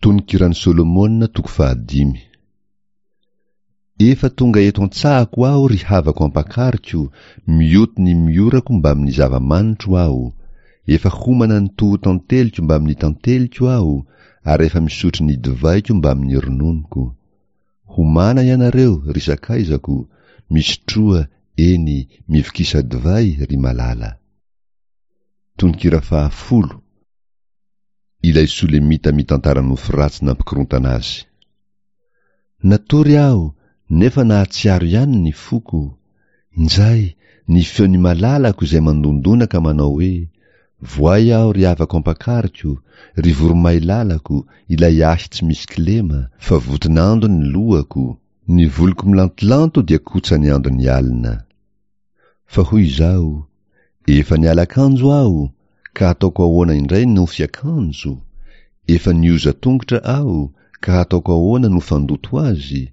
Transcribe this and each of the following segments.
Tononkiran'i Solomona toko fahadimy. Efa tonga eto an-tsahako aho ry havako ampakariko, mioty ny miorako mbamin'ny zava-manitro aho, efa homana ny toho-tanteliko mbamin'ny tanteliko aho, ary efa misotro ny divaiko mbamin'ny rononoko. Homana ianareo, ry sakaizako, misotroa, eny, mivokisa divay, ry malala. Tononkira fahafolo. Ilay Solemita mitantara nofy ratsy nampikorontana azy. Natory aho nefa nahatsiaro ihany ny foko, injay ny feon'ny malalako izay mandondona ka manao hoe, Voay aho ry havako ampakariko, ry voromailalako, ilay ahy tsy misy kilema, fa voton'ando ny lohako, ny voloko milantolanto dia kotsan'ny andon'ny alina. Fa hoy izaho, Efa niala akanjo aho, ka hataoko ahoana indray no fiakanjo? Efa nioza tongotra aho, ka hataoko ahoana no fandoto azy?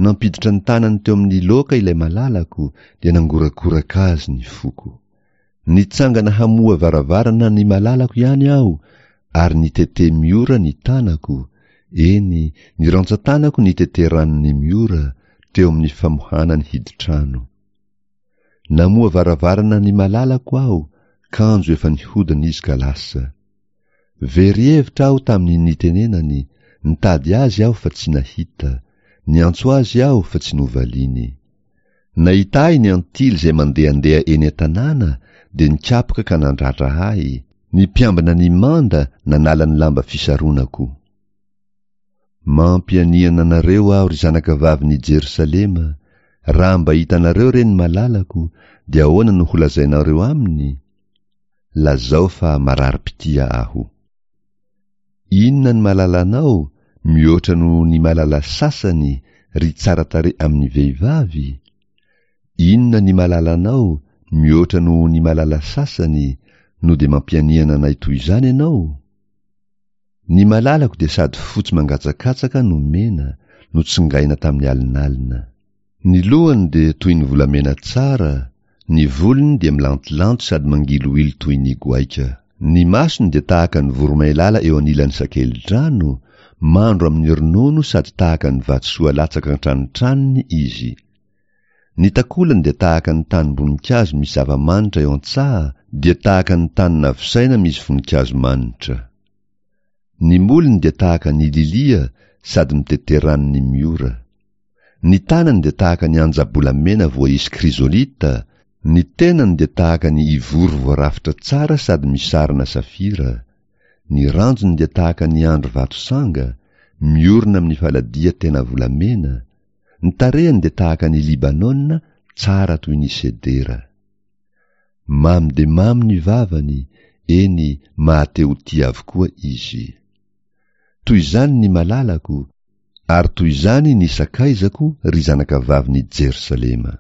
Nampiditra ny tanany teo amin'ny loaka ilay malalako, dia nangorakoraka azy ny foko. Nitsangana hamoha varavarana ny malalako ihany aho, ary nitete miora ny tanako, eny, ny rantsan-tanako nitete ranon'ny miora, teo amin'ny famohana ny hidin-trano. Namoha varavarana ny malalako aho, kanjo efa nihodina izy ka lasa. Very hevitra aho tamin'ny nitenenany, nitady azy aho fa tsy nahita, niantso azy aho fa tsy novaliany. Nahita ahy ny antily izay mandehandeha eny an-tanàna dia nikapoka ka nandratra ahy, ny mpiambina ny manda nanala ny lamba fisaronako. Mampianiana anareo aho ry zanakavavin'i Jerosalema, raha mba hitanareo re ny malalako, dia ahoana no holazainareo aminy? Lazao fa mararim-pitia aho. Inona ny malalanao mihoatra noho ny malala sasany ry tsara tarehy amin'ny vehivavy? Inona ny malalanao mihoatra noho ny malala sasany no dia mampianiana anay toy izany ianao? Ny malalako dia sady fotsy mangatsakatsaka no mena, notsongaina tamin'ny alinalina. Ny lohany dia toy ny volamena tsara, ny volony dia milantolanto sady mangilohilo toy ny goaika. Ny masony dia tahaka ny voromailala eo anilan'ny sakelidrano, mandro amin'ny ronono sady tahaka ny vatosoa latsaka an-tranotranony izy. Ny takolany dia tahaka ny tanim-boninkazo misy zava-manitra eo an-tsaha, dia tahaka ny tany navosaina misy voninkazo manitra. Ny molony dia tahaka ny lilia sady mitete ranon'ny miora. Ny tanany dia tahaka ny anja-bolamena voaisy krizolita, ny tenany dia tahaka ny ivory voarafitra tsara sady misarona safira, ny ranjony dia tahaka ny andry vato sanga, miorina amin'ny faladia tena volamena, Ny tarehiny dia tahaka an' i Libanona, tsara toy ny sedera. Mamy dia mamy ny vavany, eny, maha-te-ho tia avokoa izy. Toy izany ny malalako, ary toy izany ny sakaizako, ry zanakavavin' i Jerosalema.